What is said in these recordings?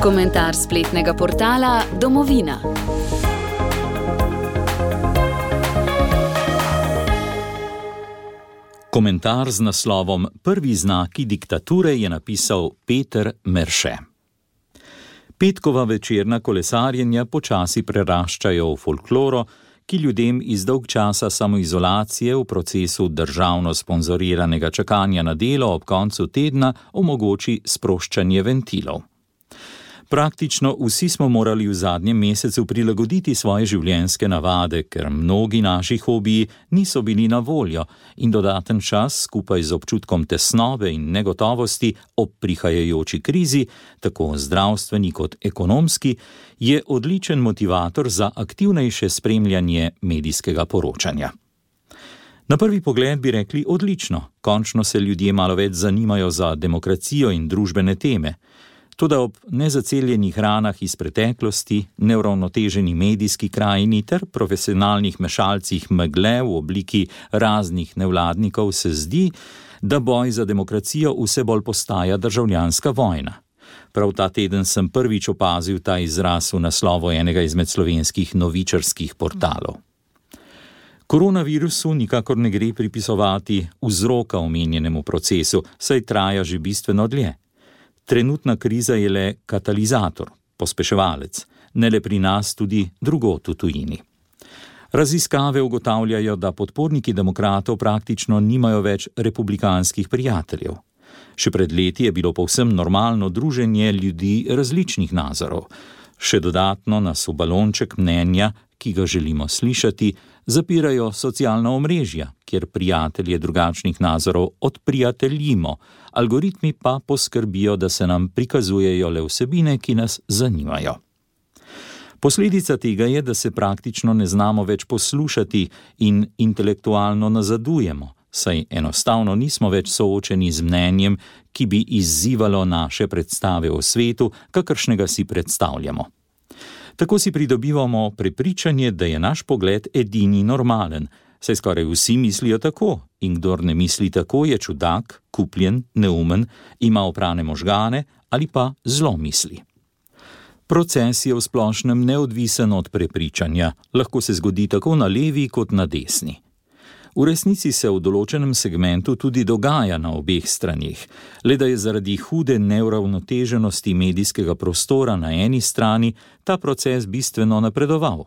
Komentar spletnega portala Domovina. Komentar z naslovom Prvi znaki diktature je napisal Peter Merše. Petkova večerna kolesarjenja počasi preraščajo v folkloro, ki ljudem iz dolg časa samoizolacije v procesu državno sponzoriranega čakanja na delo ob koncu tedna omogoči sproščanje ventilov. Praktično vsi smo morali v zadnjem mesecu prilagoditi svoje življenjske navade, ker mnogi naši hobiji niso bili na voljo in dodaten čas skupaj z občutkom tesnobe in negotovosti ob prihajajoči krizi, tako zdravstveni kot ekonomski, je odličen motivator za aktivnejše spremljanje medijskega poročanja. Na prvi pogled bi rekli odlično, končno se ljudje malo več zanimajo za demokracijo in družbene teme. Toda ob nezaceljenih ranah iz preteklosti, neuravnoteženi medijski krajini ter profesionalnih mešalcih megle v obliki raznih nevladnikov se zdi, da boj za demokracijo vse bolj postaja državljanska vojna. Prav ta teden sem prvič opazil ta izraz v naslovu enega izmed slovenskih novičarskih portalov. Koronavirusu nikakor ne gre pripisovati vzroka omenjenemu procesu, saj traja že bistveno dlje. Trenutna kriza je le katalizator, pospeševalec, ne le pri nas, tudi drugod v tujini. Raziskave ugotavljajo, da podporniki demokratov praktično nimajo več republikanskih prijateljev. Še pred leti je bilo povsem normalno druženje ljudi različnih nazorov. Še dodatno nas v balonček mnenja, ki ga želimo slišati, zapirajo socialna omrežja, kjer prijatelje drugačnih nazorov odprijateljimo, algoritmi pa poskrbijo, da se nam prikazujejo le vsebine, ki nas zanimajo. Posledica tega je, da se praktično ne znamo več poslušati in intelektualno nazadujemo, saj enostavno nismo več soočeni z mnenjem, ki bi izzivalo naše predstave o svetu, kakršnega si predstavljamo. Tako si pridobivamo prepričanje, da je naš pogled edini normalen, saj skoraj vsi mislijo tako, in kdor ne misli tako, je čudak, kupljen, neumen, ima oprane možgane ali pa zlo misli. Proces je v splošnem neodvisen od prepričanja, lahko se zgodi tako na levi kot na desni. V resnici se v določenem segmentu tudi dogaja na obeh straneh, le da je zaradi hude neuravnoteženosti medijskega prostora na eni strani ta proces bistveno napredoval.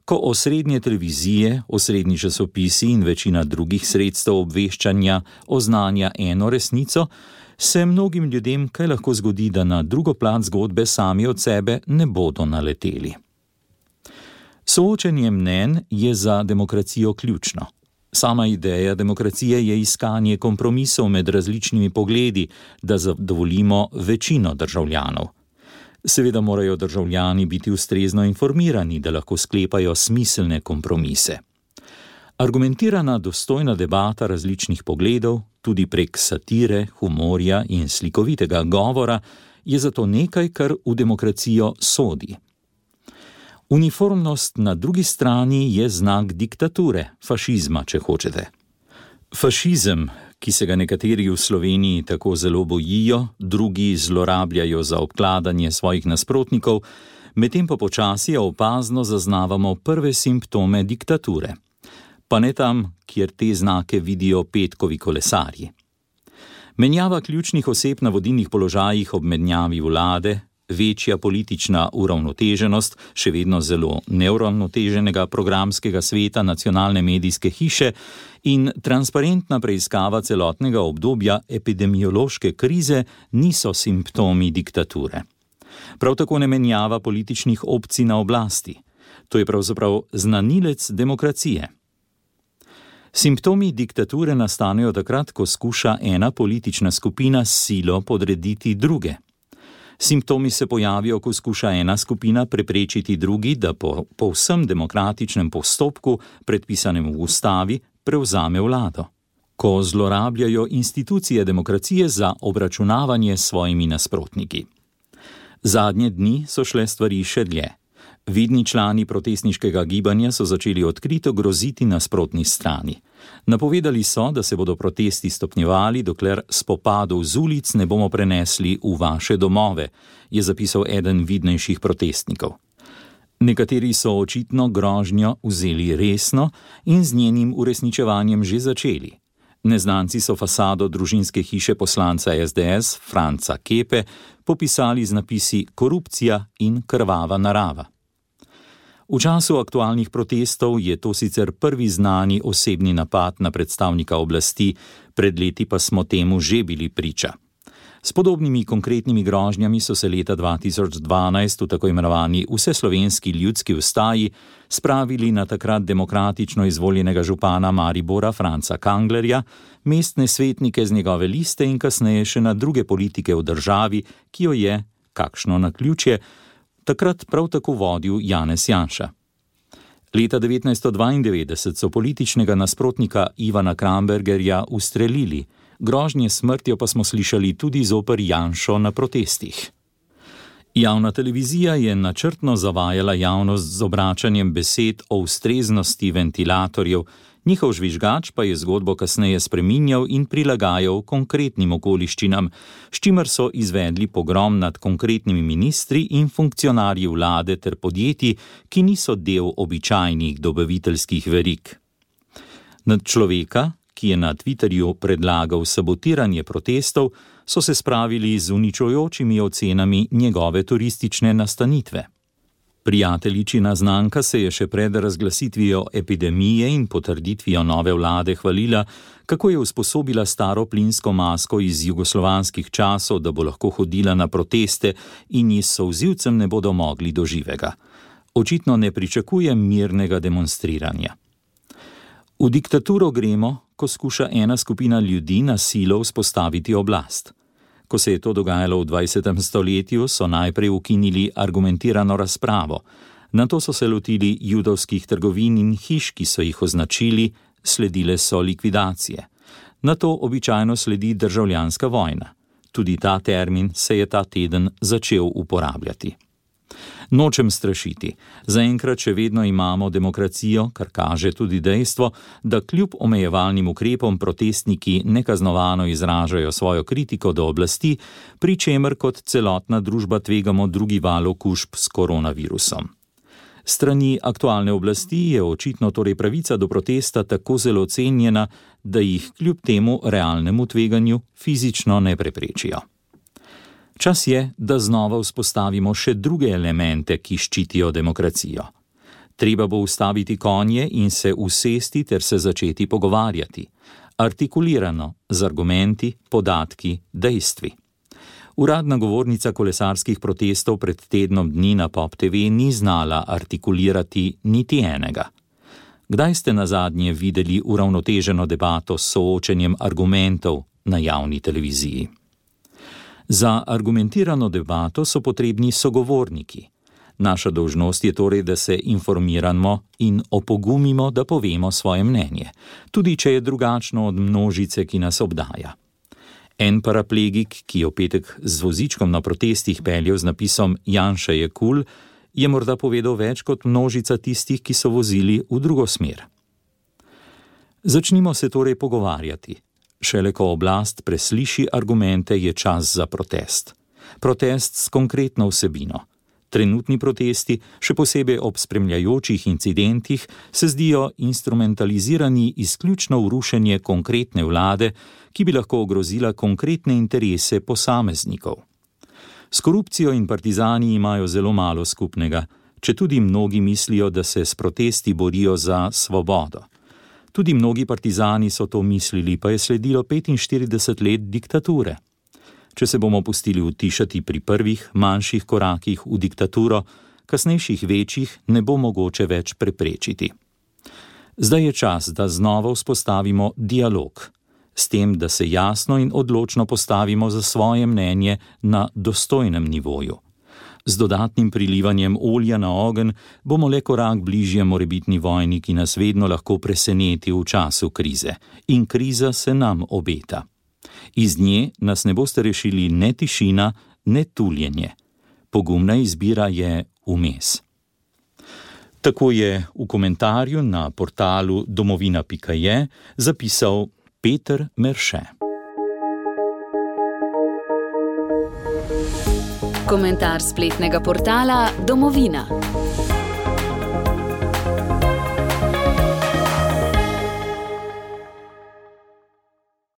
Ko osrednje televizije, osrednji časopisi in večina drugih sredstev obveščanja oznanja eno resnico, se mnogim ljudem kaj lahko zgodi, da na drugo plat zgodbe sami od sebe ne bodo naleteli. Soočenje mnenj je za demokracijo ključno. Sama ideja demokracije je iskanje kompromisov med različnimi pogledi, da zadovoljimo večino državljanov. Seveda morajo državljani biti ustrezno informirani, da lahko sklepajo smiselne kompromise. Argumentirana, dostojna debata različnih pogledov, tudi prek satire, humorja in slikovitega govora, je zato nekaj, kar v demokracijo sodi. Uniformnost na drugi strani je znak diktature, fašizma, če hočete. Fašizem, ki se ga nekateri v Sloveniji tako zelo bojijo, drugi zlorabljajo za obkladanje svojih nasprotnikov, medtem pa počasi opazno zaznavamo prve simptome diktature. Pa ne tam, kjer te znake vidijo petkovi kolesarji. Menjava ključnih oseb na vodilnih položajih ob menjavi vlade, večja politična uravnoteženost še vedno zelo neuravnoteženega programskega sveta nacionalne medijske hiše in transparentna preiskava celotnega obdobja epidemiološke krize niso simptomi diktature. Prav tako ne menjava političnih opcij na oblasti. To je pravzaprav znanilec demokracije. Simptomi diktature nastanejo takrat, ko skuša ena politična skupina s silo podrediti druge. Simptomi se pojavijo, ko skuša ena skupina preprečiti drugi, da po povsem demokratičnem postopku, predpisanem v ustavi, prevzame vlado. Ko zlorabljajo institucije demokracije za obračunavanje s svojimi nasprotniki. Zadnje dni so šle stvari še dlje. Vidni člani protestniškega gibanja so začeli odkrito groziti nasprotni strani. Napovedali so, da se bodo protesti stopnjevali, dokler spopadov z ulic ne bomo prenesli v vaše domove, je zapisal eden vidnejših protestnikov. Nekateri so očitno grožnjo vzeli resno in z njenim uresničevanjem že začeli. Neznanci so fasado družinske hiše poslanca SDS Franca Kepe popisali z napisi korupcija in krvava narava. V času aktualnih protestov je to sicer prvi znani osebni napad na predstavnika oblasti, pred leti pa smo temu že bili priča. S podobnimi konkretnimi grožnjami so se leta 2012 v tako imenovani vseslovenski ljudski vstaji spravili na takrat demokratično izvoljenega župana Maribora Franca Kanglerja, mestne svetnike z njegove liste in kasneje še na druge politike v državi, ki jo je, kakšno naključje, takrat prav tako vodil Janez Janša. Leta 1992 so političnega nasprotnika Ivana Krambergerja ustrelili, grožnje smrtjo pa smo slišali tudi zoper Janšo na protestih. Javna televizija je načrtno zavajala javnost z obračanjem besed o ustreznosti ventilatorjev, njihov žvižgač pa je zgodbo kasneje spreminjal in prilagajal konkretnim okoliščinam, s čimer so izvedli pogrom nad konkretnimi ministri in funkcionarji vlade ter podjetij, ki niso del običajnih dobaviteljskih verig. Nad človeka, ki je na Twitterju predlagal sabotiranje protestov, so se spravili z uničujočimi ocenami njegove turistične nastanitve. Prijateljičina znanka se je še pred razglasitvijo epidemije in potrditvijo nove vlade hvalila, kako je usposobila staro plinsko masko iz jugoslovanskih časov, da bo lahko hodila na proteste in ji s solzivcem ne bodo mogli do živega. Očitno ne pričakuje mirnega demonstriranja. V diktaturo gremo, ko skuša ena skupina ljudi na silo vzpostaviti oblast. Ko se je to dogajalo v 20. stoletju, so najprej ukinili argumentirano razpravo, nato so se lotili judovskih trgovin in hiš, ki so jih označili, sledile so likvidacije. Nato običajno sledi državljanska vojna. Tudi ta termin se je ta teden začel uporabljati. Nočem strašiti. Zaenkrat še vedno imamo demokracijo, kar kaže tudi dejstvo, da kljub omejevalnim ukrepom protestniki nekaznovano izražajo svojo kritiko do oblasti, pri čemer kot celotna družba tvegamo drugi val okužb s koronavirusom. Strani aktualne oblasti je očitno torej pravica do protesta tako zelo cenjena, da jih kljub temu realnemu tveganju fizično ne preprečijo. Čas je, da znova vzpostavimo še druge elemente, ki ščitijo demokracijo. Treba bo ustaviti konje in se usesti ter se začeti pogovarjati. Artikulirano, z argumenti, podatki, dejstvi. Uradna govornica kolesarskih protestov pred tednom dni na Pop TV ni znala artikulirati niti enega. Kdaj ste nazadnje videli uravnoteženo debato s soočenjem argumentov na javni televiziji? Za argumentirano debato so potrebni sogovorniki. Naša dolžnost je torej, da se informiramo in opogumimo, da povemo svoje mnenje, tudi če je drugačno od množice, ki nas obdaja. En paraplegik, ki je v petek z vozičkom na protestih peljal z napisom Janša je kul, je morda povedal več kot množica tistih, ki so vozili v drugo smer. Začnimo se torej pogovarjati. Šele ko oblast presliši argumente, je čas za protest. Protest s konkretno vsebino. Trenutni protesti, še posebej ob spremljajočih incidentih, se zdijo instrumentalizirani izključno v rušenje konkretne vlade, ki bi lahko ogrozila konkretne interese posameznikov. S korupcijo in partizani imajo zelo malo skupnega, četudi mnogi mislijo, da se s protesti borijo za svobodo. Tudi mnogi partizani so to mislili, pa je sledilo 45 let diktature. Če se bomo pustili utišati pri prvih, manjših korakih v diktaturo, kasnejših večjih ne bo mogoče več preprečiti. Zdaj je čas, da znova vzpostavimo dialog, s tem, da se jasno in odločno postavimo za svoje mnenje na dostojnem nivoju. Z dodatnim prilivanjem olja na ogenj bomo le korak bližje morebitni vojni, ki nas vedno lahko preseneti v času krize. In kriza se nam obeta. Iz nje nas ne boste rešili ne tišina, ne tuljenje. Pogumna izbira je vmes. Tako je v komentarju na portalu domovina.je zapisal Peter Merše. Komentar spletnega portala Domovina.